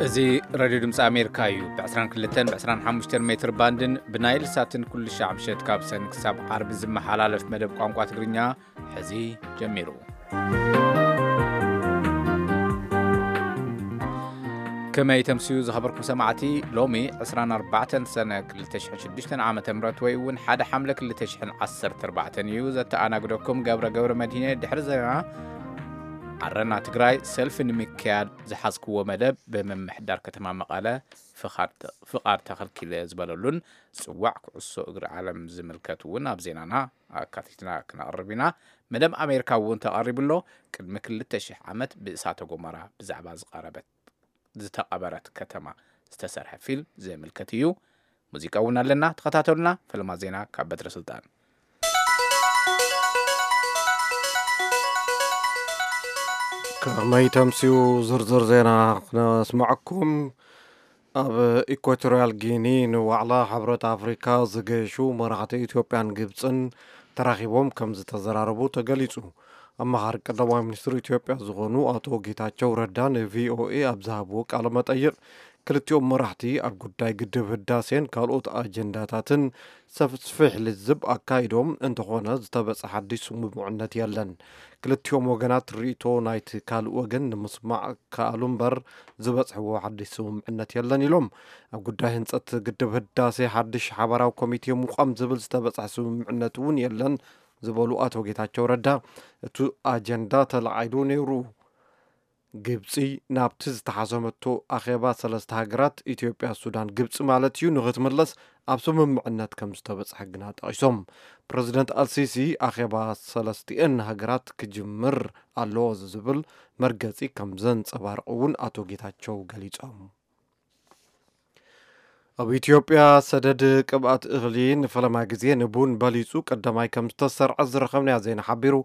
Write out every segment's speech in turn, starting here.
እዚ ሬድዮ ድምፂ ኣሜሪካ እዩ። ብ22 ብ25 ሜትር ባንድን ብናይል ሳትን ኩሉ ሻዕ ምሸት ካብ ሰን ክሳብ ዓርቢ ዝመሓላለፍ መደብ ቋንቋ ትግርኛ ሕዚ ጀሚሩ። ከመይ ተምስዩ ዝኸበርኩም ሰማዕቲ? ሎሚ 24 ሰነ 2006 ዓመተ ምህረት ወይ እውን ሓደ ሓምለ 2014 እዩ። ዘተኣናግደኩም ገብረ ገብረ መድሂነ። ድሕሪ ዜና ዓረና ትግራይ ሰልፊ ንምክያድ ዝሓዝክዎ መደብ ብምምሕዳር ከተማ መቐለ ፍቓድ ተኸልኪለ ዝበለሉን ጽዋዕ ኩዕሶ እግሪ ዓለም ዝምልከት እውን ኣብ ዜናና ኣካቲትና ክነቕርብ ኢና። መደብ ኣሜሪካ እውን ተቐሪቡ ኣሎ። ቅድሚ 2,000 ዓመት ብእሳተ ጎመራ ብዛዕባ ዝቐረበት ዝተቐበረት ከተማ ዝተሰርሐ ፊልም ዝምልከት እዩ። ሙዚቃ እውን ኣለና፣ ተኸታተሉና። ፈለማ ዜና ካብ በትረ ስልጣን። ከመይ ተምስዩ ዝርዝር ዜና ክነስምዐኩም። ኣብ ኢኳቶሪያል ጊኒ ንዋዕላ ሕብረት ኣፍሪካ ዝገሹ መራሕቲ ኢትዮጵያን ግብፅን ተራኺቦም ከም ዝተዘራረቡ ተገሊጹ። ኣመኻሪ ቀዳማይ ሚኒስትር ኢትዮጵያ ዝኾኑ ኣቶ ጌታቸው ረዳ ንቪኦኤ ኣብ ዝሃብዎ ቃለ መጠይቕ፣ ክልቲኦም መራሕቲ ኣብ ጉዳይ ግድብ ህዳሴን ካልኦት ኣጀንዳታትን ሰፍስፍሕ ልዝብ ኣካይዶም፣ እንተኾነ ዝተበጽሐ ሓድሽ ስምምዕነት የለን። ክልቲኦም ወገናት ርእይቶ ናይቲ ካልእ ወገን ንምስማዕ ከኣሉ እምበር ዝበጽሕዎ ሓድሽ ስምምዕነት የለን ኢሎም። ኣብ ጉዳይ ህንጸት ግድብ ህዳሴ ሓድሽ ሓባራዊ ኮሚቴ ምቋም ዝብል ዝተበጽሐ ስምምዕነት እውን የለን ዝበሉ ኣቶ ጌታቸው ረዳ፣ እቲ ኣጀንዳ ተላዒሉ ነይሩ። ግብጺ ናብቲ ዝተሓሰመቶ ኣኼባ ሰለስተ ሃገራት፣ ኢትዮጵያ፣ ሱዳን፣ ግብጺ ማለት እዩ፣ ንኽትምለስ ኣብ ስምምዕነት ከም ዝተበጽሐ ግና ጠቒሶም። ፕረዚደንት ኣልሲሲ ኣኼባ ሰለስቲኤን ሃገራት ክጅምር ኣለዎ ዝብል መርገጺ ከም ዘንጸባርቕ እውን ኣቶ ጌታቸው ገሊጾም። ኣብ ኢትዮጵያ ሰደድ ቅብኣት እኽሊ ንፈለማ ግዜ ንቡን በሊጹ ቀዳማይ ከም ዝተሰርዐ ዝረኸብናዮ ዜና ሓቢሩ።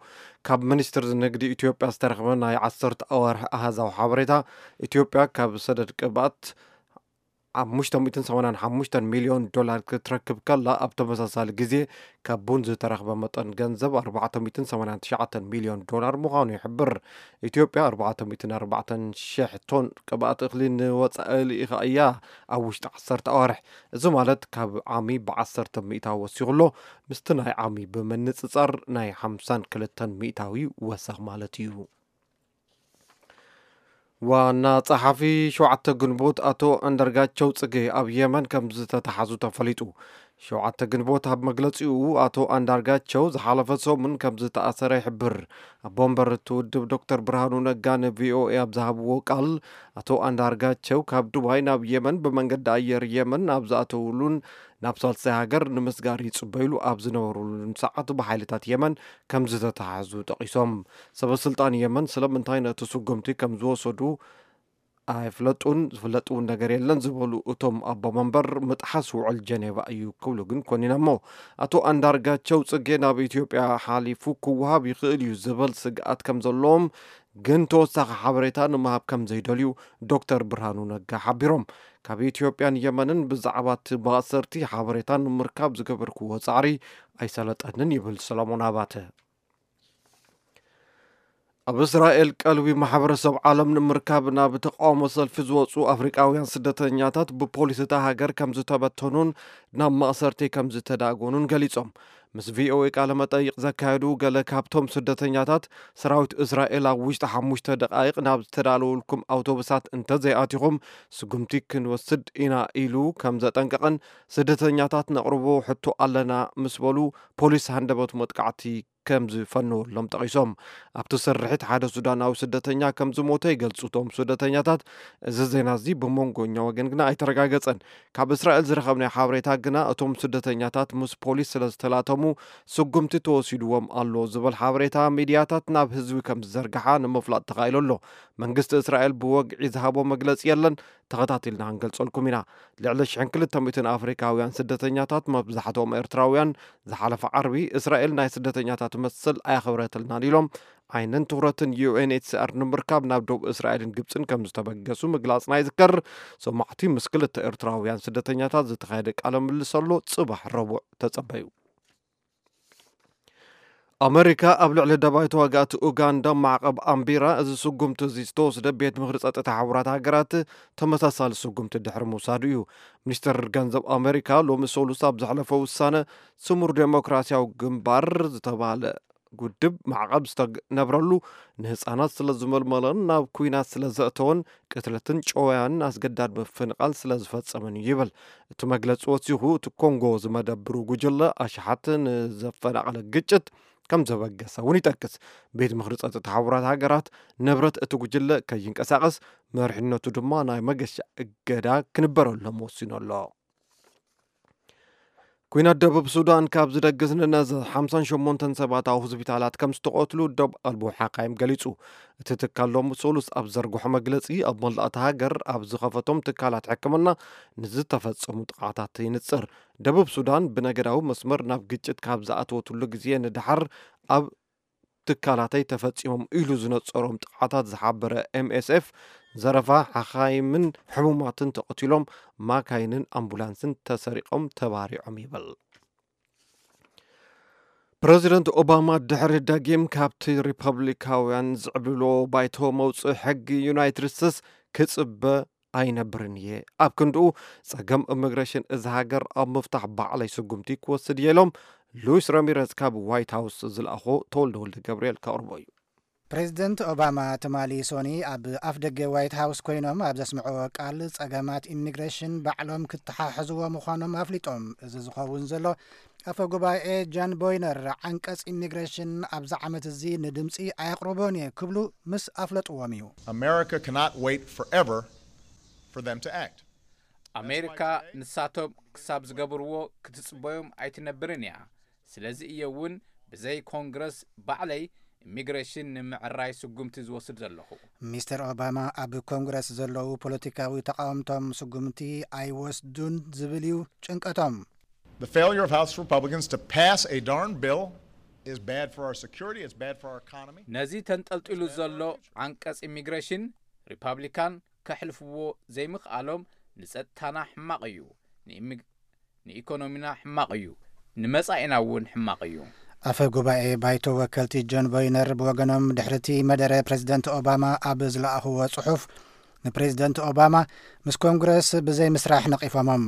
ካብ ሚኒስትሪ ንግዲ ኢትዮጵያ ዝተረኽበ ናይ 10 ኣዋርሕ ኣሃዛዊ ሓበሬታ፣ ኢትዮጵያ ካብ ሰደድ ቅብኣት 585 ሚልዮን ዶላር ክትረክብ ከላ፣ ኣብ ተመሳሳሊ ግዜ ካብ ቡን ዝተረኽበ መጠን ገንዘብ 489 ሚልዮን ዶላር ምዃኑ ይሕብር። ኢትዮጵያ 404,000 ቶን ቅብኣት እኽሊ ንወጻኢ ልኢኻ እያ ኣብ ውሽጢ 10 ኣዋርሕ። እዚ ማለት ካብ ዓሚ ብ10 ሚእታዊ ወሲኹ ኣሎ። ምስቲ ናይ ዓሚ ብምንጽጻር ናይ 52 ሚእታዊ ወሰኽ ማለት እዩ። ዋና ጸሓፊ ሸውዓተ ግንቦት ኣቶ ኣንዳርጋቸው ጽጌ ኣብ የመን ከም ዝተተሓዙ ተፈሊጡ። ሸውዓተ ግንቦት ኣብ መግለጺኡ፣ ኣቶ ኣንዳርጋቸው ዝሓለፈ ሰሙን ከም ዝተኣሰረ ይሕብር። ኣቦ መንበር እቲ ውድብ ዶክተር ብርሃኑ ነጋ ንቪኦኤ ኣብ ዝሃብዎ ቃል፣ ኣቶ ኣንዳርጋቸው ካብ ዱባይ ናብ የመን ብመንገዲ ኣየር የመን ኣብ ዝኣተውሉን ናብ ሳልሳይ ሃገር ንምስጋር ይጽበይሉ ኣብ ዝነበሩሉን ሰዓት ብሓይልታት የመን ከም ዝተተሓዙ ጠቒሶም። ሰበ ስልጣን የመን ስለምንታይ ነቲ ስጉምቲ ከም ዝወሰዱ ኣይፍለጡን፣ ዝፍለጥ እውን ነገር የለን ዝበሉ እቶም ኣቦ መንበር፣ ምጥሓስ ውዕል ጀኔቫ እዩ ክብሉ ግን ኮኒኖሞ። ኣቶ ኣንዳርጋቸው ጽጌ ናብ ኢትዮጵያ ሓሊፉ ክወሃብ ይኽእል እዩ ዝብል ስግኣት ከም ዘለዎም፣ ግን ተወሳኺ ሓበሬታ ንምሃብ ከም ዘይደልዩ ዶክተር ብርሃኑ ነጋ ሓቢሮም። ካብ ኢትዮጵያን የመንን ብዛዕባ እቲ ማእሰርቲ ሓበሬታ ንምርካብ ዝገበርክዎ ጻዕሪ ኣይሰለጠንን ይብል ሰሎሞን ኣባተ። ኣብ እስራኤል ቀልቢ ማሕበረሰብ ዓለም ንምርካብ ናብ ተቃውሞ ሰልፊ ዝወፁ ኣፍሪቃውያን ስደተኛታት ብፖሊስ እታ ሃገር ከም ዝተበተኑን ናብ ማእሰርቲ ከም ዝተዳጎኑን ገሊጾም። ምስ ቪኦኤ ቃለ መጠይቕ ዘካየዱ ገለ ካብቶም ስደተኛታት፣ ሰራዊት እስራኤል ኣብ ውሽጢ ሓሙሽተ ደቃይቕ ናብ ዝተዳለወልኩም ኣውቶቡሳት እንተዘይኣቲኹም ስጉምቲ ክንወስድ ኢና ኢሉ ከም ዘጠንቀቐን፣ ስደተኛታት ነቕርቦ ሕቶ ኣለና ምስ በሉ ፖሊስ ሃንደበት መጥቃዕቲ ከም ዝፈነወሎም ጠቒሶም። ኣብቲ ስርሒት ሓደ ሱዳናዊ ስደተኛ ከም ዝሞተ ይገልጹ እቶም ስደተኛታት። እዚ ዜና እዚ ብመንጎኛ ወገን ግና ኣይተረጋገጸን። ካብ እስራኤል ዝረኸብናዮ ሓበሬታ ግና፣ እቶም ስደተኛታት ምስ ፖሊስ ስለ ዝተላተሙ ስጉምቲ ተወሲድዎም ኣሎ ዝብል ሓበሬታ ሚድያታት ናብ ህዝቢ ከም ዝዘርግሓ ንምፍላጥ ተኻኢሉ ኣሎ። መንግስቲ እስራኤል ብወግዒ ዝሃቦ መግለጺ የለን። ተኸታቲልና ክንገልጸልኩም ኢና። ልዕሊ ሽሕን ክልተ ሚእትን ኣፍሪካውያን ስደተኛታት፣ መብዛሕትኦም ኤርትራውያን፣ ዝሓለፈ ዓርቢ እስራኤል ናይ ስደተኛታት መሰል ኣየኽበረትልናን ኢሎም ዓይንን ትኹረትን ዩ ኤን ኤች ሲ ኣር ንምርካብ ናብ ደቡብ እስራኤልን ግብፅን ከም ዝተበገሱ ምግላፅና ይዝከር። ሰማዕቲ፣ ምስ ክልተ ኤርትራውያን ስደተኛታት ዝተኻየደ ቃለ ምልልስ ኣሎ፣ ፅባሕ ረቡዕ ተጸበዩ። ኣመሪካ ኣብ ልዕሊ ደባይ ተዋጋእቲ ኡጋንዳ ማዕቐብ ኣንቢራ፣ እዚ ስጉምቲ እዚ ዝተወስደ ቤት ምኽሪ ጸጥታ ሕቡራት ሃገራት ተመሳሳሊ ስጉምቲ ድሕሪ ምውሳዱ እዩ። ሚኒስትር ገንዘብ ኣመሪካ ሎሚ ሰሉስ ኣብ ዘሕለፈ ውሳነ፣ ስሙር ዴሞክራሲያዊ ግንባር ዝተባህለ ውድብ ማዕቐብ ዝተነብረሉ፣ ንህፃናት ስለ ዝመልመለን ናብ ኩናት ስለ ዘእተወን፣ ቅትለትን ጨወያንን ኣስገዳድ ምፍንቓል ስለ ዝፈጸመን እዩ ይብል። እቲ መግለጺ ወሲኹ፣ እቲ ኮንጎ ዝመደብሩ ጉጅለ ኣሽሓት ንዘፈናቐለ ግጭት ከም ዘበገሰ እውን ይጠቅስ። ቤት ምኽሪ ጸጥታ ሕቡራት ሃገራት ንብረት እቲ ጉጅለ ከይንቀሳቐስ፣ መሪሕነቱ ድማ ናይ መገሻ እገዳ ክንበረሎም ወሲኑ ኣሎ። ኩናት ደቡብ ሱዳን ካብ ዝደግስ ንነዘ ሓምሳን ሸሞንተን ሰባት ኣብ ሆስፒታላት ከም ዝተቐትሉ ዶብ ኣልቦ ሓካይም ገሊጹ። እቲ ትካል ሎሚ ሰሉስ ኣብ ዘርግሖ መግለጺ፣ ኣብ መላእታ ሃገር ኣብ ዝኸፈቶም ትካላት ሕክምና ንዝተፈጸሙ ጥቓታት ይንጽር። ደቡብ ሱዳን ብነገዳዊ መስመር ናብ ግጭት ካብ ዝኣተወትሉ ግዜ ንደሓር ኣብ ትካላተይ ተፈጺሞም ኢሉ ዝነጸሮም ጥቓታት ዝሓበረ ኤምኤስኤፍ፣ ዘረፋ ሓኻይምን ሕሙማትን ተቐቲሎም፣ ማካይንን ኣምቡላንስን ተሰሪቖም ተባሪዖም ይብል። ፕረዚደንት ኦባማ ድሕሪ ደጊም ካብቲ ሪፐብሊካውያን ዝዕብልዎ ባይቶ መውፅእ ሕጊ ዩናይትድ ስቴትስ ክፅበ ኣይነብርን እየ። ኣብ ክንድኡ፣ ጸገም ኢሚግሬሽን እዚ ሃገር ኣብ ምፍታሕ ባዕለይ ስጉምቲ ክወስድ እየ ኢሎም ሉዊስ ረሚረዝ ካብ ዋይት ሃውስ ዝለኣኾ ተወልደ ወልደ ገብርኤል ከቕርቦ እዩ። ፕሬዚደንት ኦባማ ትማሊ ሶኒ ኣብ ኣፍ ደገ ዋይት ሃውስ ኮይኖም ኣብ ዘስምዕዎ ቃል፣ ጸገማት ኢሚግሬሽን ባዕሎም ክተሓሕዝዎ ምዃኖም ኣፍሊጦም። እዚ ዝኸውን ዘሎ፣ ኣፈ ጉባኤ ጃን ቦይነር ዓንቀጽ ኢሚግሬሽን ኣብዚ ዓመት እዚ ንድምጺ ኣየቕርቦን እየ ክብሉ ምስ ኣፍለጥዎም እዩ። America cannot wait forever for them to act. ኣሜሪካ ንሳቶም ክሳብ ዝገብርዎ ክትጽበዮም ኣይትነብርን እያ። ስለዚ እየ እውን ብዘይ ኮንግረስ ባዕለይ ኢሚግሬሽን ንምዕራይ ስጉምቲ ዝወስድ ዘለኹ። ሚስተር ኦባማ ኣብ ኮንግረስ ዘለዉ ፖለቲካዊ ተቓወምቶም ስጉምቲ ኣይወስዱን ዝብል እዩ ጭንቀቶም። The failure of House Republicans to pass a darn bill is bad for our security, it's bad for our economy. ነዚ ተንጠልጢሉ ዘሎ ዓንቀጽ ኢሚግሬሽን ሪፓብሊካን ከሕልፍዎ ዘይምኽኣሎም ንጸጥታና ሕማቕ እዩ፣ ንኢኮኖሚና ሕማቕ እዩ፣ ንመጻኢና እውን ሕማቕ እዩ። ኣፈ ጉባኤ ባይቶ ወከልቲ ጆን ቦይነር ብወገኖም ድሕሪቲ መደረ ፕሬዚደንት ኦባማ ኣብ ዝለኣኽዎ ጽሑፍ፣ ንፕሬዚደንት ኦባማ ምስ ኮንግረስ ብዘይ ምስራሕ ነቒፎሞም።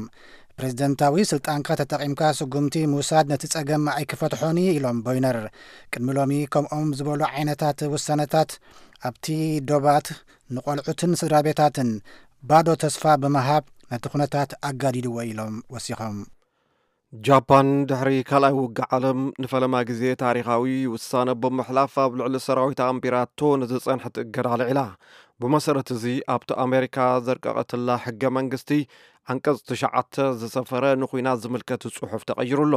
ፕሬዚደንታዊ ስልጣንካ ተጠቒምካ ስጉምቲ ምውሳድ ነቲ ጸገም ኣይክፈትሖን እዩ ኢሎም ቦይነር። ቅድሚ ሎሚ ከምኦም ዝበሉ ዓይነታት ውሳነታት ኣብቲ ዶባት ንቖልዑትን ስድራ ቤታትን ባዶ ተስፋ ብምሃብ ነቲ ኩነታት ኣጋዲድዎ ኢሎም ወሲኾም። ጃፓን ድሕሪ ካልኣይ ውግእ ዓለም ንፈለማ ግዜ ታሪኻዊ ውሳነ ብምሕላፍ ኣብ ልዕሊ ሰራዊት ኣንቢራቶ ንዝጸንሐት እገዳ ኣልዒላ። ብመሰረት እዚ ኣብቲ ኣሜሪካ ዘርቀቐትላ ሕገ መንግስቲ ዓንቀጽ ትሽዓተ ዝሰፈረ ንኹናት ዝምልከት ጽሑፍ ተቐይሩ ኣሎ።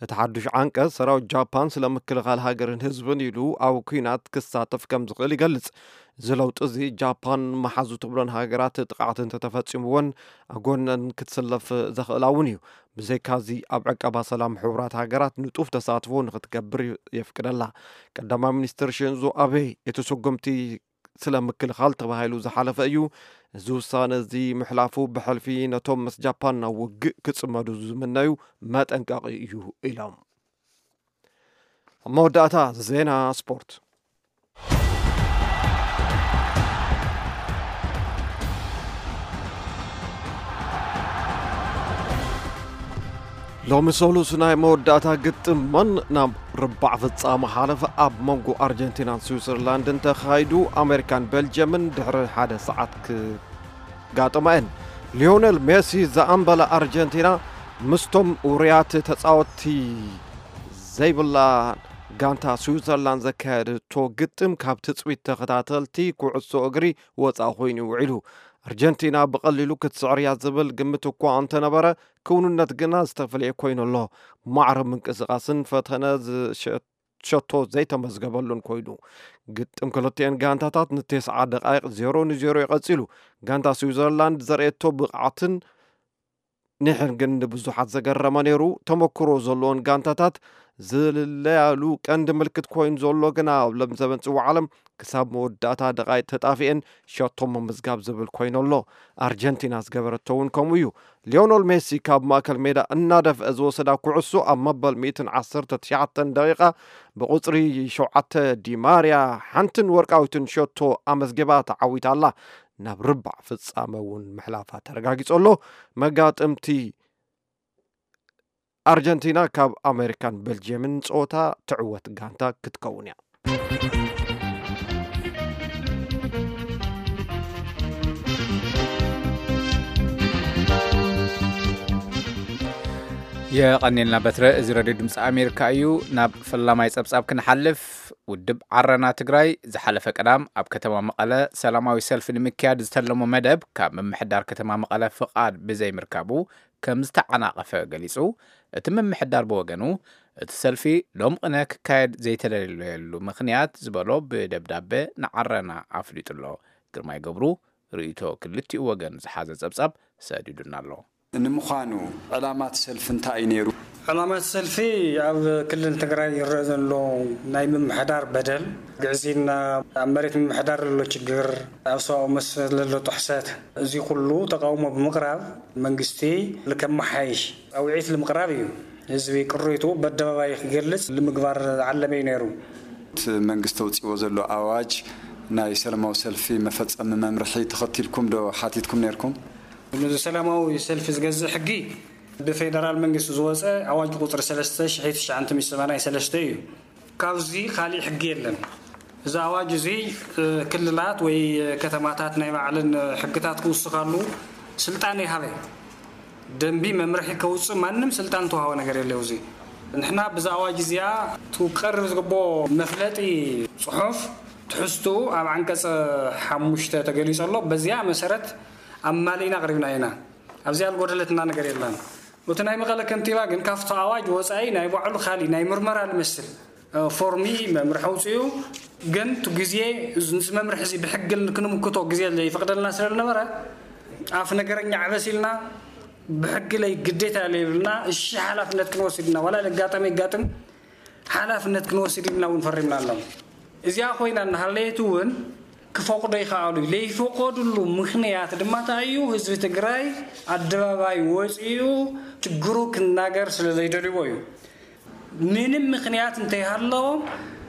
እቲ ሓዱሽ ዓንቀጽ ሰራዊት ጃፓን ስለ ምክልኻል ሃገርን ህዝብን ኢሉ ኣብ ኲናት ክሳተፍ ከም ዝኽእል ይገልጽ። እዚ ለውጢ እዚ ጃፓን መሓዙ ትብሎን ሃገራት ጥቕዓት እንተተፈጺምወን ጎነን ክትስለፍ ዘኽእላ እውን እዩ። ብዘይካዚ ኣብ ዕቀባ ሰላም ሕቡራት ሃገራት ንጡፍ ተሳትፎ ንክትገብር የፍቅደላ። ቀዳማይ ሚኒስትር ሽንዞ ኣቤ እቲ ስጉምቲ ስለ ምክልኻል ተባሂሉ ዝሓለፈ እዩ። እዚ ውሳነ እዚ ምሕላፉ ብሕልፊ ነቶም ምስ ጃፓን ናብ ውግእ ክጽመዱ ዝምነዩ መጠንቀቒ እዩ ኢሎም። ኣብ መወዳእታ ዜና ስፖርት። ሎሚ ሰሉስ ናይ መወዳእታ ግጥመን ናብ ርባዕ ፍጻመ ሓለፈ ኣብ መንጎ ኣርጀንቲናን ስዊዘርላንድን ተኻይዱ፣ ኣሜሪካን ቤልጅየምን ድሕሪ ሓደ ሰዓት ክጋጥማ እየን። ሊዮነል ሜሲ ዘኣንበላ ኣርጀንቲና ምስቶም ውሩያት ተጻወትቲ ዘይብላ ጋንታ ስዊዘርላንድ ዘካየደቶ ግጥም ካብ ትጽቢት ተኸታተልቲ ኩዕሶ እግሪ ወጻኢ ኮይኑ ውዒሉ። ኣርጀንቲና ብቐሊሉ ክትስዕር እያ ዝብል ግምት እኳ እንተነበረ፣ ክውንነት ግና ዝተፈለየ ኮይኑ ኣሎ። ማዕረ ምንቅስቓስን ፈተነ ዝሸቶ ዘይተመዝገበሉን ኮይኑ። ግጥም ክልቲኤን ጋንታታት ንተስዓ ደቓይቕ ዜሮ ንዜሮ ይቐጺሉ። ጋንታ ስዊዘርላንድ ዘርእየቶ ብቕዓትን ኒሕን ግን ንብዙሓት ዘገረመ ነይሩ። ተመክሮ ዘለዎን ጋንታታት ዝልለያሉ ቀንዲ ምልክት ኮይኑ ዘሎ ግና ኣብ ሎም ዘበን ጽዋዕ ዓለም ክሳብ መወዳእታ ደቓይቕ ተጣፊኤን ሸቶ ምምዝጋብ ዝብል ኮይኑ ኣሎ። ኣርጀንቲና ዝገበረቶ እውን ከምኡ እዩ። ሊዮኖል ሜሲ ካብ ማእከል ሜዳ እናደፍአ ዝወሰዳ ኩዕሶ ኣብ መበል ሚእትን ዓሰርተ ትሽዓተን ደቂቓ ብቁጽሪ ሸውዓተ ዲማርያ ሓንትን ወርቃዊትን ሸቶ ኣመዝጊባ ተዓዊታ ኣላ። ናብ ርባዕ ፍጻመ እውን ምሕላፋ ተረጋጊጹ ኣሎ። መጋጥምቲ ኣርጀንቲና ካብ ኣሜሪካን ቤልጅየምን ጸወታ ትዕወት ጋንታ ክትከውን እያ። የቐኔልና በትረ። እዚ ረድዮ ድምፂ ኣሜሪካ እዩ። ናብ ፈላማይ ጸብጻብ ክንሓልፍ፣ ውድብ ዓረና ትግራይ ዝሓለፈ ቀዳም ኣብ ከተማ መቐለ ሰላማዊ ሰልፊ ንምክያድ ዝተለሞ መደብ ካብ ምምሕዳር ከተማ መቐለ ፍቓድ ብዘይምርካቡ ከም ዝተዓናቐፈ ገሊጹ። እቲ ምምሕዳር ብወገኑ፣ እቲ ሰልፊ ሎም ቅነ ክካየድ ዘይተደለየሉ ምኽንያት ዝበሎ ብደብዳበ ንዓረና ኣፍሊጡ ኣሎ። ግርማይ ገብሩ ርእይቶ ክልቲኡ ወገን ዝሓዘ ጸብጻብ ሰዲዱና ኣሎ። ንምዃኑ ዕላማት ሰልፊ እንታይ እዩ ነይሩ? ዕላማት ሰልፊ ኣብ ክልል ትግራይ ይረአ ዘሎ ናይ ምምሕዳር በደል፣ ግዕዝይና፣ ኣብ መሬት ምምሕዳር ዘሎ ችግር፣ ኣብ ሰብኣዊ መሰል ዘሎ ጥሕሰት፣ እዚ ኩሉ ተቃውሞ ብምቕራብ መንግስቲ ከመሓይሽ ፃውዒት ንምቕራብ እዩ። ህዝቢ ቅሬቱ በደባባይ ክገልጽ ንምግባር ዝዓለመ እዩ ነይሩ። እቲ መንግስቲ ኣውፅዎ ዘሎ ኣዋጅ ናይ ሰላማዊ ሰልፊ መፈጸሚ መምርሒ ተኸቲልኩም ዶ ሓቲትኩም ነይርኩም? ነዚ ሰላማዊ ሰልፊ ዝገዝእ ሕጊ ብፌደራል መንግስቲ ዝወፀ ኣዋጅ ቁፅሪ ሰለስተ ሺሕ ትሽዓተ ሚእቲ ሰማንያ ሰለስተ እዩ። ካብዚ ካሊእ ሕጊ የለን። እዚ ኣዋጅ እዚ፣ እ፣ ክልላት ወይ ከተማታት ናይ ባዕለን ሕግታት ክውስኻሉ ስልጣን ይሃበ። ደንቢ መምርሒ ከውፅእ ማንም ስልጣን ተዋህቦ ነገር የለ። እዚ ንሕና ብዛ ኣዋጅ እዚኣ ትቀርብ ዝግብኦ መፍለጢ ፅሑፍ ትሕዝትኡ ኣብ ዓንቀፅ ሓሙሽተ ተገሊፁ ኣሎ። በዚኣ መሰረት ኣማሊእና ኣቕሪብና ኢና። ኣብዚኣ ዝጎደለትና ነገር የለን። እቲ ናይ መቐለ ከንቲባ ግን ካብቲ ኣዋጅ ወፃኢ ናይ ባዕሉ ካሊእ ናይ ምርመራ ዝመስል፣ እ፣ ፎርሚ መምርሒ ኣውፅኡ። ግን እቲ ግዜ እዚ፣ ነዚ መምርሒ እዚ ብሕጊ ክንምክቶ ግዜ ዘይፈቅደልና ስለ ዝነበረ ኣፍ ነገረኛ ዕበስ ኢልና ብሕጊ ለይ ግዴታ ለይብልና እሺ ሓላፍነት ክንወስድ ኢና። ዋላ ለጋጠመ ይጋጥም ሓላፍነት ክንወስድ ኢልና እውን ፈሪምና ኣለና። እዚኣ ኮይና እናሃለየት እውን ክፈቕዶ ይኸኣሉ። ለይፈቐዱሉ ምኽንያት ድማ እንታይ እዩ? ህዝቢ ትግራይ ኣደባባይ ወፂኡ ችግሩ ክናገር ስለ ዘይደልይዎ እዩ። ምንም ምኽንያት እንተይሃለዎም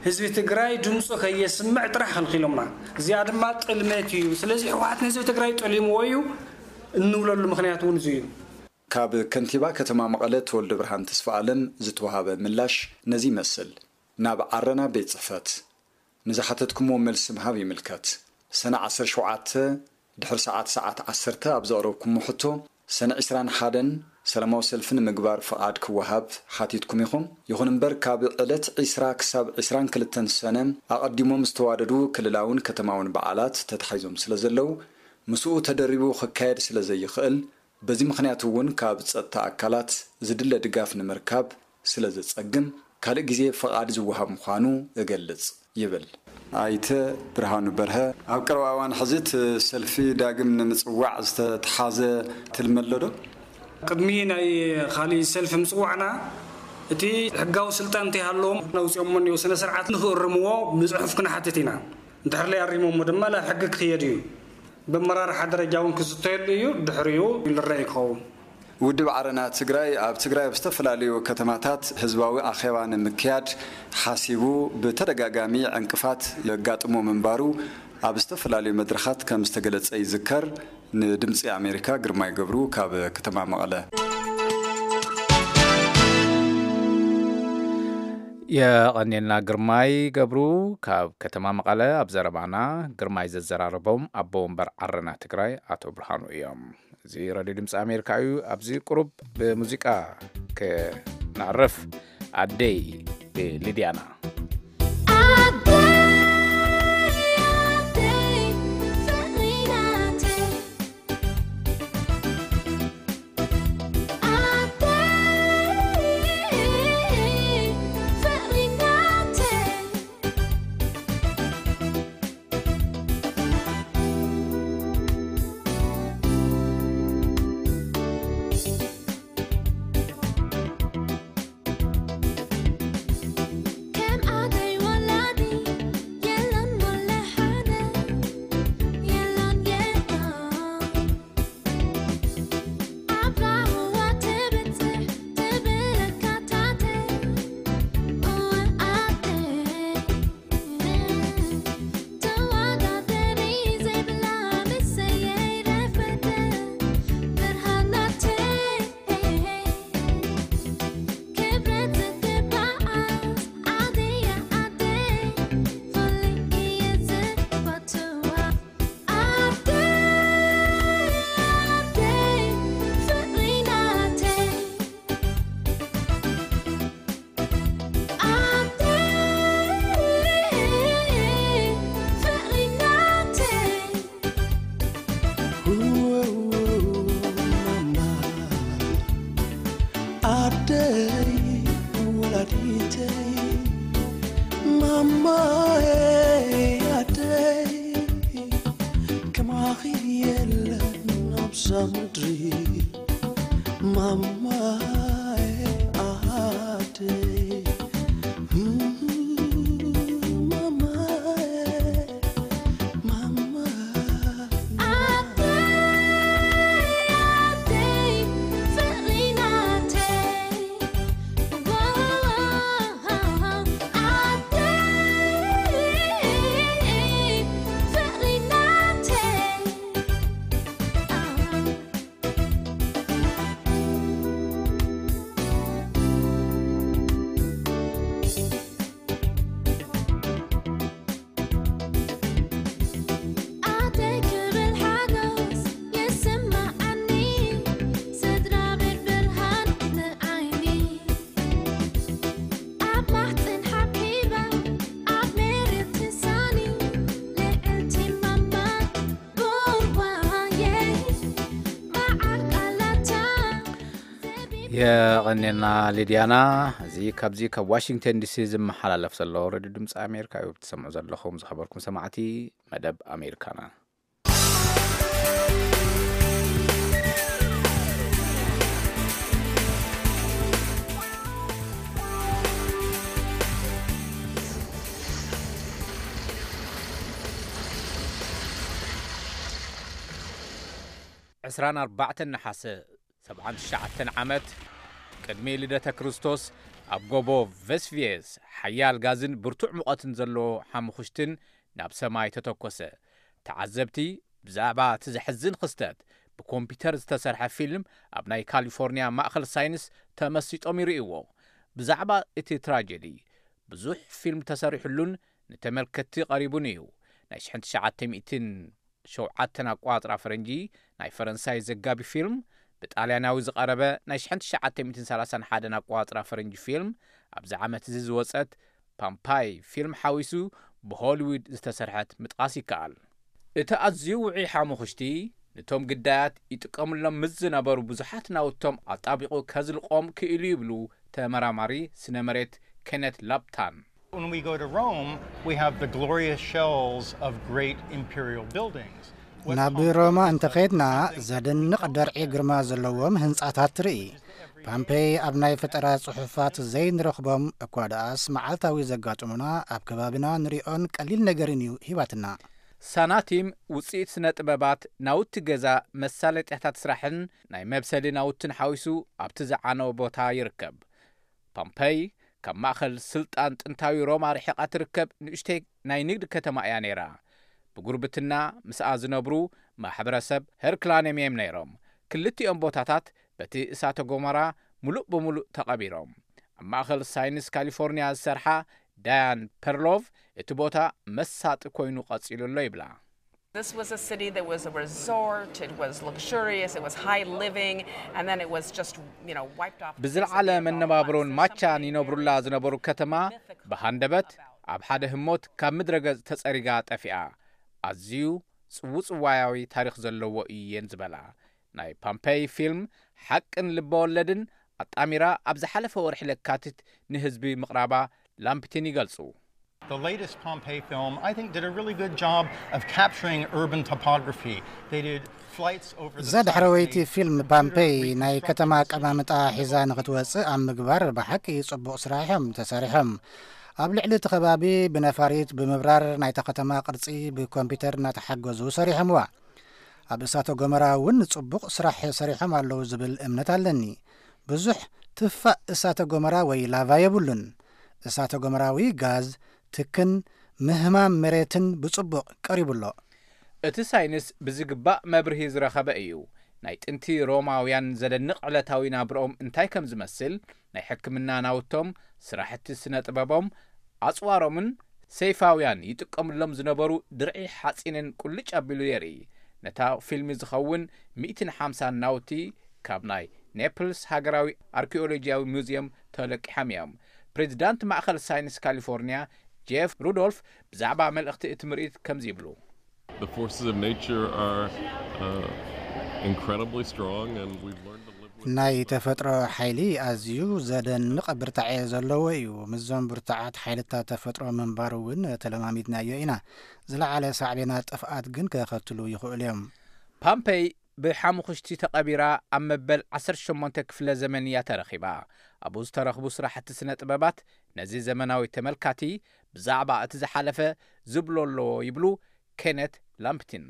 ህዝቢ ትግራይ ድምፁ ከየስምዕ ጥራሕ ከልኪሎምና። እዚኣ ድማ ጥልመት እዩ። ስለዚ ህወሓት ንህዝቢ ትግራይ ጠሊምዎ እዩ እንብለሉ ምኽንያት እውን እዚ እዩ። ካብ ከንቲባ ከተማ መቐለ ተወልደ ብርሃን ተስፋኣለም ዝተዋሃበ ምላሽ ነዚ ይመስል። ናብ ዓረና ቤት ጽሕፈት ንዝሓተትኩምዎ መልሲ ምሃብ ይምልከት። ሰነ ዓሰርተ ሸውዓተ ድሕሪ ሰዓት፣ ሰዓት ዓሰርተ ኣብ ዘቕረብኩሞ ሕቶ፣ ሰነ ዕስራን ሓደን ሰላማዊ ሰልፊ ንምግባር ፍቓድ ክወሃብ ሓቲትኩም ኢኹም። ይኹን እምበር፣ ካብ ዕለት ዕስራ ክሳብ ዕስራን ክልተን ሰነ ኣቐዲሞም ዝተዋደዱ ክልላውን ከተማውን በዓላት ተታሒዞም ስለ ዘለዉ፣ ምስኡ ተደሪቡ ክካየድ ስለ ዘይኽእል፣ በዚ ምኽንያት እውን ካብ ጸጥታ ኣካላት ዝድለ ድጋፍ ንምርካብ ስለ ዘጸግም፣ ካልእ ግዜ ፍቓድ ዝወሃብ ምዃኑ እገልጽ ይብል። ኣይተ ብርሃኑ በርሀ፣ ኣብ ቀረባ እዋን ሕዚ እቲ ሰልፊ ዳግም ንምጽዋዕ ዝተተሓዘ ትልሚ ኣሎ ዶ? ቅድሚ ናይ ካሊእ ሰልፊ ምጽዋዕና፣ እቲ ሕጋዊ ስልጣን እንተይሃለዎም ነውፅኦሞ እኒኦ ስነ ስርዓት ንኽእርምዎ ብጽሑፍ ክንሓትት ኢና። እንድሕር ለይ ኣሪሞሞ ድማ ናብ ሕጊ ክኽየድ እዩ። ብኣመራርሓ ደረጃ እውን ክዝተየሉ እዩ። ድሕሪኡ ይልረእ እዩ ክኸውን። ውድብ ዓረና ትግራይ ኣብ ትግራይ ኣብ ዝተፈላለዩ ከተማታት ህዝባዊ ኣኼባ ንምክያድ ሓሲቡ ብተደጋጋሚ ዕንቅፋት የጋጥሞ ምንባሩ ኣብ ዝተፈላለዩ መድረኻት ከም ዝተገለጸ ይዝከር። ንድምፂ ኣሜሪካ ግርማይ ገብሩ ካብ ከተማ መቐለ። የቐኔልና ግርማይ ገብሩ ካብ ከተማ መቐለ። ኣብ ዘረባና ግርማይ ዘዘራረቦም ኣቦ ወንበር ዓረና ትግራይ ኣቶ ብርሃኑ እዮም። እዚ ራድዮ ድምፂ ኣሜሪካ እዩ። ኣብዚ ቁሩብ ብሙዚቃ ክነዕርፍ። ኣደይ ብሊድያና። ኣኺል የለን ኣብዛ ምድሪ ማማዬ ኣደይ ማማዬ ማማ ኣደይ ኣደይ ፍቕሪ ናተይ ኣደይ ፍቕሪ ናተይ ኣደይ ክብል ሓጎስ ይስምዓኒ ስድራ ቤት ብርሃን ንዓይኒ ኣብ ማሕፅን ሓብሒባ ኣብ መሬት ትሳኒ ልዕልቲ ማማ ቡባየ መዓር ቃላታ የቐኔልና ሊድያና። እዚ ካብዚ ካብ ዋሽንግተን ዲሲ ዝመሓላለፍ ዘሎ ሬድዮ ድምፂ ኣሜሪካ እዩ ትሰምዑ ዘለኹም። ዝኸበርኩም ሰማዕቲ መደብ ኣሜሪካና። ዕስራን ኣርባዕተን ነሓሰ ሰብዓን ትሽዓተን ዓመት ቅድሚ ልደተ ክርስቶስ ኣብ ጎቦ ቨስቪየስ ሓያል ጋዝን ብርቱዕ ሙቐትን ዘለዎ ሓሙኽሽትን ናብ ሰማይ ተተኮሰ። ተዓዘብቲ ብዛዕባ እቲ ዘሕዝን ክስተት ብኮምፒተር ዝተሰርሐ ፊልም ኣብ ናይ ካሊፎርኒያ ማእኸል ሳይንስ ተመሲጦም ይርእይዎ። ብዛዕባ እቲ ትራጀዲ ብዙሕ ፊልም ተሰሪሑሉን ንተመልከትቲ ቀሪቡን እዩ። ናይ ሽሕን ትሽዓተ ሚእትን ሸውዓተን ኣቋጽራ ፈረንጂ ናይ ፈረንሳይ ዘጋቢ ፊልም ብጣልያናዊ ዝቐረበ ናይ ሽሕን ትሽዓተ ሚእትን ሰላሳን ሓደን ኣቋጽራ ፈረንጂ ፊልም ኣብዚ ዓመት እዚ ዝወጸት ፓምፓይ ፊልም ሓዊሱ ብሆሊውድ ዝተሰርሐት ምጥቓስ ይከኣል። እቲ ኣዝዩ ውዑይ ሓሙኽሽቲ ንቶም ግዳያት ይጥቀምሎም ምስ ዝነበሩ ብዙሓት ናውቶም ኣጣቢቑ ከዝልቖም ክኢሉ ይብሉ ተመራማሪ ስነ መሬት ኬነት ላፕታን። When we go to Rome, we have the glorious shells of great imperial buildings. ናብ ሮማ እንተኸድና ዘደንቕ ደርዒ ግርማ ዘለዎም ህንጻታት ትርኢ። ፓምፔይ ኣብ ናይ ፈጠራ ጽሑፋት ዘይንረኽቦም እኳ ደኣስ መዓልታዊ ዘጋጥሙና ኣብ ከባቢና ንሪኦን ቀሊል ነገርን እዩ ሂባትና። ሳናቲም ውጽኢት ስነ ጥበባት ናውቲ ገዛ መሳለጥያታት ስራሕን ናይ መብሰሊ ናውትን ሓዊሱ ኣብቲ ዝዓነወ ቦታ ይርከብ። ፓምፐይ ካብ ማእኸል ስልጣን ጥንታዊ ሮማ ርሒቓ ትርከብ ንእሽተይ ናይ ንግዲ ከተማ እያ ነይራ። ብጉርብትና ምስኣ ዝነብሩ ማሕበረሰብ ሄርክላኔም እዮም ነይሮም። ክልቲኦም ቦታታት በቲ እሳተ ጎመራ ምሉእ ብምሉእ ተቐቢሮም። ኣብ ማእኸል ሳይንስ ካሊፎርኒያ ዝሰርሓ ዳያን ፐርሎቭ እቲ ቦታ መሳጢ ኮይኑ ቀጺሉ ኣሎ ይብላ። This was a city that was a resort, it was luxurious, it was high living, and then it was just, you know, wiped off. ብዝለዓለ መነባብሮን ማቻን ይነብሩላ ዝነበሩ ከተማ ብሃንደበት ኣብ ሓደ ህሞት ካብ ምድረ ገጽ ተጸሪጋ ጠፊኣ። ኣዝዩ ጽውጽዋያዊ ታሪኽ ዘለዎ እየን ዝበላ ናይ ፓምፔይ ፊልም ሓቅን ልበወለድን ኣጣሚራ ኣብ ዝሓለፈ ወርሒ ለካቲት ንህዝቢ ምቕራባ ላምፕቲን ይገልጹ። The latest Pompeii film, I think, did a really good job of capturing urban topography. They did flights over the እዛ ዳሕረወይቲ ፊልም ፓምፔይ ናይ ከተማ ኣቀማምጣ ሒዛ ንኽትወጽእ ኣብ ምግባር ብሓቂ ጽቡቕ ስራሕ እዮም ተሰሪሖም። ኣብ ልዕሊ እቲ ከባቢ ብነፋሪት ብምብራር ናይታ ከተማ ቅርጺ ብኮምፒተር እናተሓገዙ ሰሪሖምዋ። ኣብ እሳተ ጎመራ እውን ጽቡቕ ስራሕ ሰሪሖም ኣለዉ ዝብል እምነት ኣለኒ። ብዙሕ ትፋእ እሳተ ጎመራ ወይ ላቫ የብሉን። እሳተ ጎመራዊ ጋዝ፣ ትክን ምህማም መሬትን ብጽቡቕ ቀሪቡ ኣሎ። እቲ ሳይንስ ብዝግባእ መብርሂ ዝረኸበ እዩ። ናይ ጥንቲ ሮማውያን ዘደንቕ ዕለታዊ ናብርኦም እንታይ ከም ዝመስል፣ ናይ ሕክምና ናውቶም፣ ስራሕቲ ስነ ጥበቦም፣ ኣጽዋሮምን ሰይፋውያን ይጥቀምሎም ዝነበሩ ድርዒ ሓጺንን ቁልጭ ኣቢሉ የርኢ። ነታ ፊልሚ ዝኸውን ሚእትን ሓምሳን ናውቲ ካብ ናይ ኔፕልስ ሃገራዊ ኣርኪኦሎጂያዊ ሙዝየም ተለቂሖም እዮም። ፕሬዚዳንት ማእኸል ሳይንስ ካሊፎርኒያ ጄፍ ሩዶልፍ ብዛዕባ መልእኽቲ እቲ ምርኢት ከምዚ ይብሉ። The forces of nature are uh, incredibly strong, and we've learned to live with ናይ ተፈጥሮ ሓይሊ ኣዝዩ ዘደንቕ ብርታዐ ዘለዎ እዩ። ምስዞም ብርቱዓት ሓይልታት ተፈጥሮ ምንባሩ እውን ተለማሚድናዮ ኢና። ዝለዓለ ሳዕቤናት ጥፍኣት ግን ከኸትሉ ይኽእሉ እዮም። ፓምፔይ ብሓሙኽሽቲ ተቐቢራ ኣብ መበል ዓሰርተ ሸሞንተ ክፍለ ዘመን እያ ተረኺባ። ኣብኡ ዝተረኽቡ ስራሕቲ ስነ ጥበባት ነዚ ዘመናዊ ተመልካቲ ብዛዕባ እቲ ዝሓለፈ ዝብሎ ኣለዎ ይብሉ ኬነት ላምፕቲን።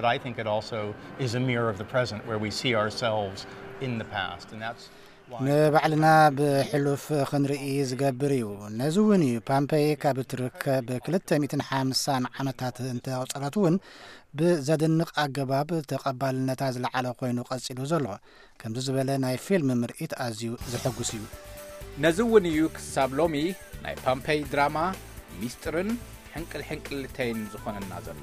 But I think it also is a mirror of the present where we see ourselves in the past. And that's why ንባዕልና ብሕሉፍ ክንርኢ ዝገብር እዩ። ነዚ እውን እዩ ፓምፔይ ካብ ትርከብ ክልተ ሚእትን ሓምሳን ዓመታት እንተቑጸረት እውን ብዘደንቕ ኣገባብ ተቐባልነታ ዝለዓለ ኮይኑ ቀጺሉ ዘሎ። ከምዚ ዝበለ ናይ ፊልም ምርኢት ኣዝዩ ዘሐጉስ እዩ። ነዚ እውን እዩ ክሳብ ሎሚ ናይ ፓምፔይ ድራማ ሚስጥርን ሕንቅል ሕንቅልተይን ዝኾነና ዘሎ።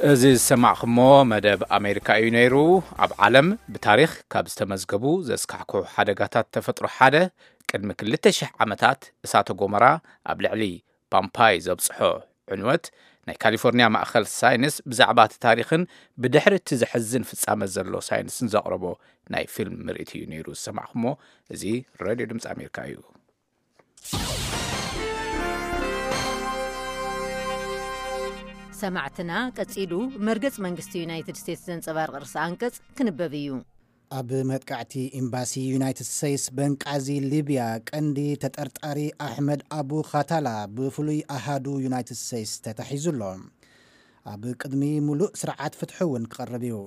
እዚ ዝሰማዕኹሞ መደብ ኣሜሪካ እዩ ነይሩ። ኣብ ዓለም ብታሪኽ ካብ ዝተመዝገቡ ዘስካሕክሑ ሓደጋታት ተፈጥሮ ሓደ፣ ቅድሚ ክልተ ሽሕ ዓመታት እሳተ ጎመራ ኣብ ልዕሊ ፓምፓይ ዘብጽሖ ዕንወት፣ ናይ ካሊፎርኒያ ማእኸል ሳይንስ ብዛዕባ እቲ ታሪኽን ብድሕሪ እቲ ዘሕዝን ፍጻመ ዘሎ ሳይንስን ዘቕረቦ ናይ ፊልም ምርኢት እዩ ነይሩ ዝሰማዕኹሞ። እዚ ሬድዮ ድምፂ ኣሜሪካ እዩ። ሰማዕትና፣ ቀጺሉ መርገጽ መንግስቲ ዩናይትድ ስቴትስ ዘንጸባርቕ ርእሰ ኣንቀጽ ክንበብ እዩ። ኣብ መጥቃዕቲ ኤምባሲ ዩናይትድ ስቴትስ በንቃዚ ሊብያ ቀንዲ ተጠርጣሪ ኣሕመድ ኣቡ ኻታላ ብፍሉይ ኣሃዱ ዩናይትድ ስቴትስ ተታሒዙ ኣሎ። ኣብ ቅድሚ ሙሉእ ስርዓት ፍትሒ እውን ክቐርብ እዩ።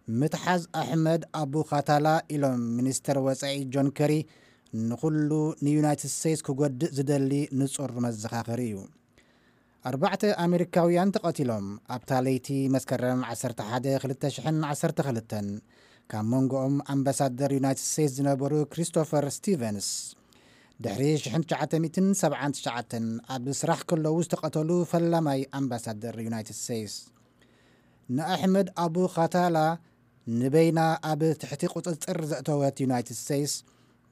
ምትሓዝ ኣሕመድ ኣቡ ኻታላ ኢሎም ሚኒስተር ወጻኢ ጆን ከሪ ንኹሉ ንዩናይትድ ስቴትስ ክጎድእ ዝደሊ ንጹር መዘኻኸሪ እዩ። ኣርባዕተ ኣሜሪካውያን ተቐቲሎም ኣብታ ለይቲ መስከረም ዓሰርተ ሓደ ክልተ ሽሕን ዓሰርተ ክልተን፣ ካብ መንጎኦም ኣምባሳደር ዩናይትድ ስቴትስ ዝነበሩ ክሪስቶፈር ስቲቨንስ። ድሕሪ ሽሕን ትሽዓተ ሚእትን ሰብዓን ትሽዓተን ኣብ ስራሕ ከለዉ ዝተቐተሉ ፈላማይ ኣምባሳደር ዩናይትድ ስቴትስ። ንኣሕመድ ኣቡ ኻታላ ንበይና ኣብ ትሕቲ ቁጽጽር ዘእተወት ዩናይትድ ስቴትስ፣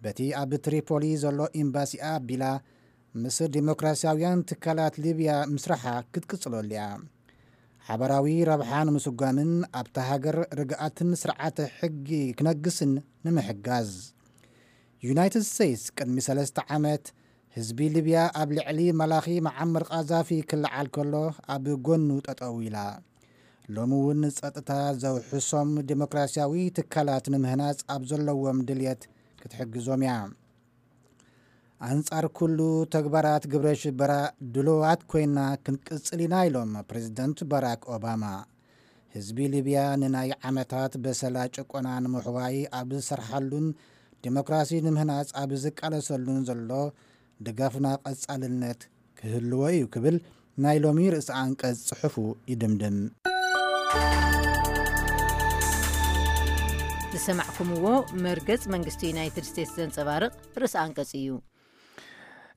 በቲ ኣብ ትሪፖሊ ዘሎ ኤምባሲኣ ኣቢላ ምስ ዲሞክራሲያውያን ትካላት ሊብያ ምስራሓ ክትቅጽለሉ እያ። ሓበራዊ ረብሓ ንምስጓምን ኣብታ ሃገር ርግኣትን ስርዓተ ሕጊ ክነግስን ንምሕጋዝ። ዩናይትድ ስቴትስ ቅድሚ ሰለስተ ዓመት ህዝቢ ሊብያ ኣብ ልዕሊ መላኺ መዓመር ቃዛፊ ክለዓል ከሎ ኣብ ጎኑ ጠጠው ኢላ። ሎሚ እውን ጸጥታ ዘውሕሶም ዲሞክራሲያዊ ትካላት ንምህናጽ ኣብ ዘለዎም ድልየት ክትሕግዞም እያ። ኣንጻር ኩሉ ተግባራት ግብረ ሽበራ ድሉዋት ኮይና ክንቅጽል ኢና ኢሎም ፕሬዝደንት ባራክ ኦባማ። ህዝቢ ሊብያ ንናይ ዓመታት በሰላ ጭቆና ንምሕዋይ ኣብ ዝሰርሓሉን ዲሞክራሲ ንምህናጽ ኣብ ዝቃለሰሉን ዘሎ ድጋፍና ቀጻልነት ክህልዎ እዩ ክብል ናይ ሎሚ ርእሰ ኣንቀጽ ጽሑፉ ይድምድም። ዝሰማዕኩምዎ መርገጽ መንግስቲ ዩናይትድ ስቴትስ ዘንጸባርቕ ርእሰ ኣንቀጽ እዩ።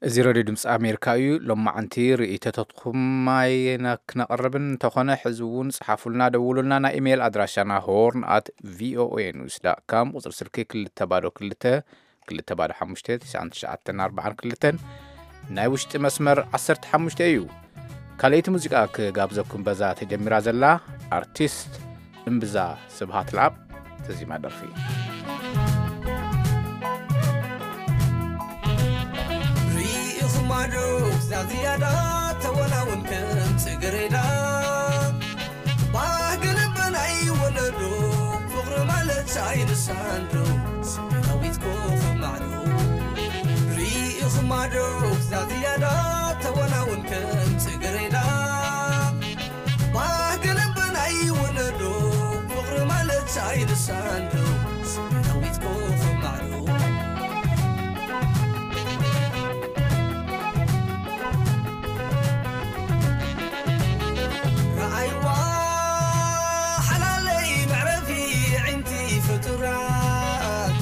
እዚ ሬድዮ ድምፂ ኣሜሪካ እዩ። ሎማዓንቲ ርእይቶታትኩም ኣይና ክነቕርብን እንተኾነ፣ ሕዚ እውን ጽሓፉልና፣ ደውሉልና። ናይ ኢሜይል ኣድራሻና ሆርን ኣት ቪኦኤ ኒውስ ዳት ካም፣ ቁፅሪ ስልኪ ክልተ ባዶ ክልተ፣ ክልተ ባዶ ሓሙሽተ፣ ትሽዓን ትሽዓተን ኣርባዓን ክልተን፣ ናይ ውሽጢ መስመር ዓሰርተ ሓሙሽተ እዩ። ካልኣይቲ ሙዚቃ ክጋብዘኩም በዛ ተጀሚራ ዘላ ኣርቲስት እምብዛ ስብሃት ለኣብ ተዚማ ደርፊ። ርኢኹማ ዶ እዛ ዝያዳ ተወላውን ከም ጽጌረዳ፣ ባህጊ ልበ ናይ ወለዶ፣ ፍቕሪ ማለት ኣይንሳን ዶ፣ ስሜታዊት ኮኸብ ማዕዶ። ርኢኹማ ዶ እዛ ዝያዳ ተወላውን ከም ጽጌረዳ፣ ባህጊ ልበ ናይ ወለዶ፣ ፍቕሪ ማለት ኣይንሳን ዶ፣ ስሜታዊት ኮኸብ ማዕዶ። ረኣይዋ ሓላለይ መዕረፊ ኣዒንቲ ፍጡራት፣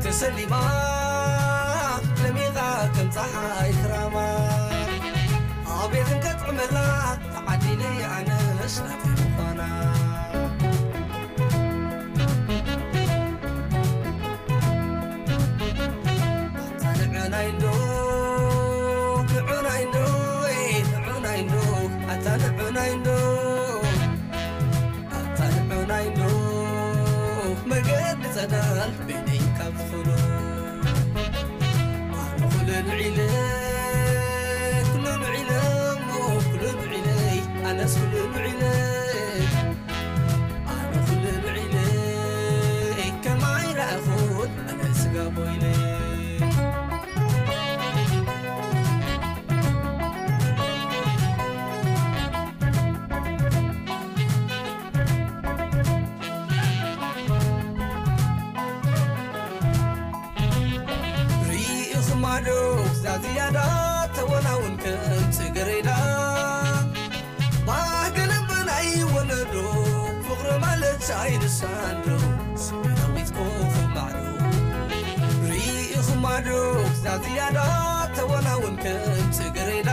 ተሰሊማ ደሚቓ ከም ጸሓይ ክራማ፣ ኣቤት እንከጥዕመላ ተዓዲለይ ኣነስ ናተይ ምዃና። ኣታ ንዑናይ እንዶ፣ ንዑናይ እንዶ፣ ንዑናይ እንዶ፣ ኣታ ንዑናይ እንዶ። ዛ ዝያዳ ተወናውን ከም ጽጌረዳ፣ ባህግን ብናይ ወለዶ ፍቕሪ ማለት ኣይንሳንዶ። ሰማያዊት ኮኸብ ማዕዶ ርኢኹማ ዶ? ዛ ዝያዳ ተወናውን ከም ጽጌረዳ፣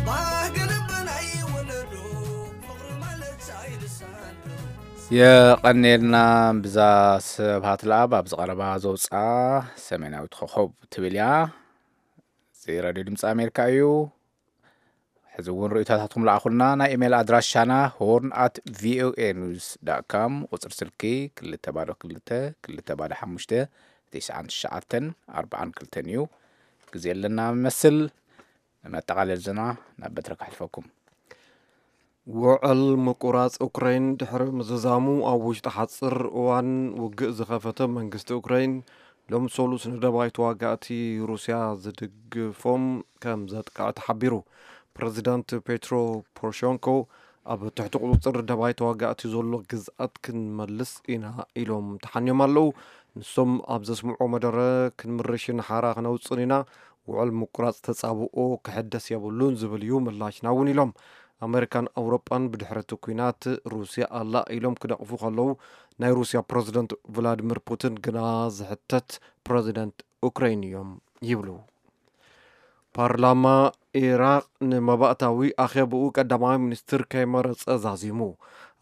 ባህግን ብናይ ወለዶ ፍቕሪ ማለት ኣይንሳንዶ። የቐኔልና ብዛ ስብሃት ለኣብ ኣብዚ ቀረባ ዘውፅኣ ሰሜናዊት ኮኸብ ትብል እያ። እዚ ሬድዮ ድምፂ ኣሜሪካ እዩ። ሕዚ እውን ርእይቶታትኩም ለኣኹልና። ናይ ኢሜይል ኣድራሻና ሆርን ኣት ቪኦኤ ኒውስ ዳት ካም፣ ቁፅሪ ስልኪ ክልተ ባዶ ክልተ ክልተ ባዶ ሓሙሽተ ትሽዓን ትሽዓተን ኣርባዓን ክልተን እዩ። ግዜ ኣለና መስል። ንመጠቓለል ዜና ናብ በትረ ከሕልፈኩም። ውዕል ምቁራጽ ኡክራይን ድሕሪ ምዝዛሙ፣ ኣብ ውሽጢ ሓጽር እዋን ውግእ ዝኸፈተ መንግስቲ ኡክራይን፣ ሎም ሰሉስ ንደባይ ተዋጋእቲ ሩስያ ዝድግፎም ከም ዘጥቅዐ ተሓቢሩ። ፕረዚዳንት ፔትሮ ፖሮሸንኮ፣ ኣብ ትሕቲ ቁጽጽር ደባይ ተዋጋእቲ ዘሎ ግዝኣት ክንመልስ ኢና ኢሎም ተሓንዮም ኣለዉ። ንሶም ኣብ ዘስምዖ መደረ፣ ክንምርሽን ሓራ ክነውጽን ኢና፣ ውዕል ምቁራጽ ተጻብኦ ክሕደስ የብሉን ዝብል እዩ ምላሽና እውን ኢሎም። ኣመሪካን ኣውሮጳን ብድሕሪ እቲ ኲናት ሩስያ ኣላ ኢሎም ክነቕፉ ከለዉ፣ ናይ ሩስያ ፕረዚደንት ቭላድሚር ፑቲን ግና ዝሕተት ፕረዚደንት ኡክራይን እዮም ይብሉ። ፓርላማ ኢራቕ ንመባእታዊ ኣኼብኡ ቀዳማይ ሚኒስትር ከይመረጸ ዛዚሙ።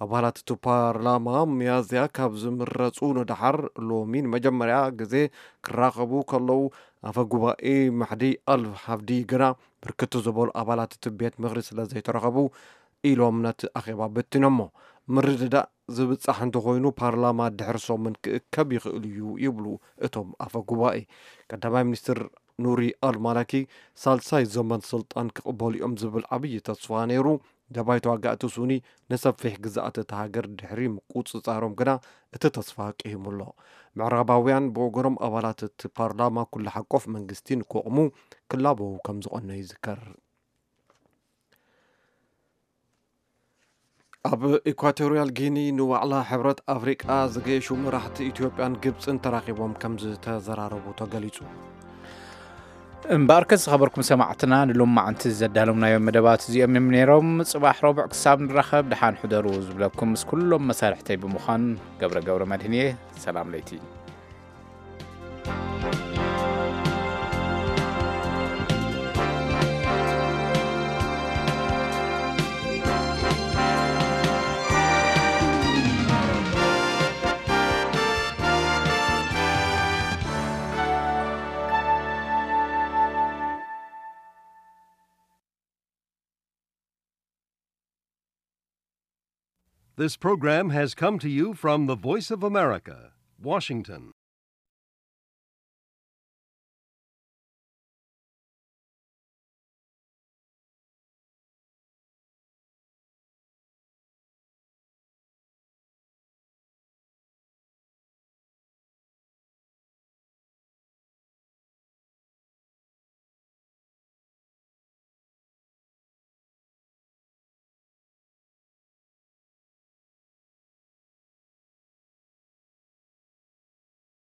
ኣባላት እቲ ፓርላማ ሚያዝያ ካብ ዝምረጹ ንደሓር ሎሚ ንመጀመርያ ግዜ ክራኸቡ ከለዉ፣ ኣፈ ጉባኤ ማሕዲ ኣል ሃፍዲ ግና ብርክት ዝበሉ ኣባላት እቲ ቤት ምኽሪ ስለ ዘይተረኸቡ ኢሎም ነቲ ኣኼባ በቲኖሞ። ምርድዳእ ዝብጻሕ እንተኾይኑ ፓርላማ ድሕሪ ሰሙን ክእከብ ይኽእል እዩ ይብሉ እቶም ኣፈ ጉባኤ። ቀዳማይ ሚኒስትር ኑሪ ኣል ማላኪ ሳልሳይ ዘመን ስልጣን ክቕበሉ እዮም ዝብል ዓብዪ ተስፋ ነይሩ። ደባይ ተዋጋእቲ ሱኒ ንሰፊሕ ግዝኣት እታ ሃገር ድሕሪ ምቁጽጻሮም ግና እቲ ተስፋ ቅሂሙ ኣሎ። ምዕራባውያን ብወገኖም ኣባላት እቲ ፓርላማ ኩሉ ሓቆፍ መንግስቲ ንክቕሙ ክላበዉ ከም ዝቐነዩ ይዝከር። ኣብ ኢኳቶሪያል ጊኒ ንዋዕላ ሕብረት ኣፍሪቃ ዝገየሹ መራሕቲ ኢትዮጵያን ግብፅን ተራኺቦም ከም ዝተዘራረቡ ተገሊጹ። እምበኣርከስ ዝኸበርኩም ሰማዕትና፣ ንሎማዓንቲ ዘዳለምናዮም መደባት እዚኦም እዮም ነይሮም። ጽባሕ ረቡዕ ክሳብ ንራኸብ ደሓን ሕደሩ ዝብለኩም ምስ ኩሎም መሳርሕተይ ብምዃን ገብረ ገብረ መድህን እየ። ሰላም ለይቲ። This program has come to you from the Voice of America, Washington.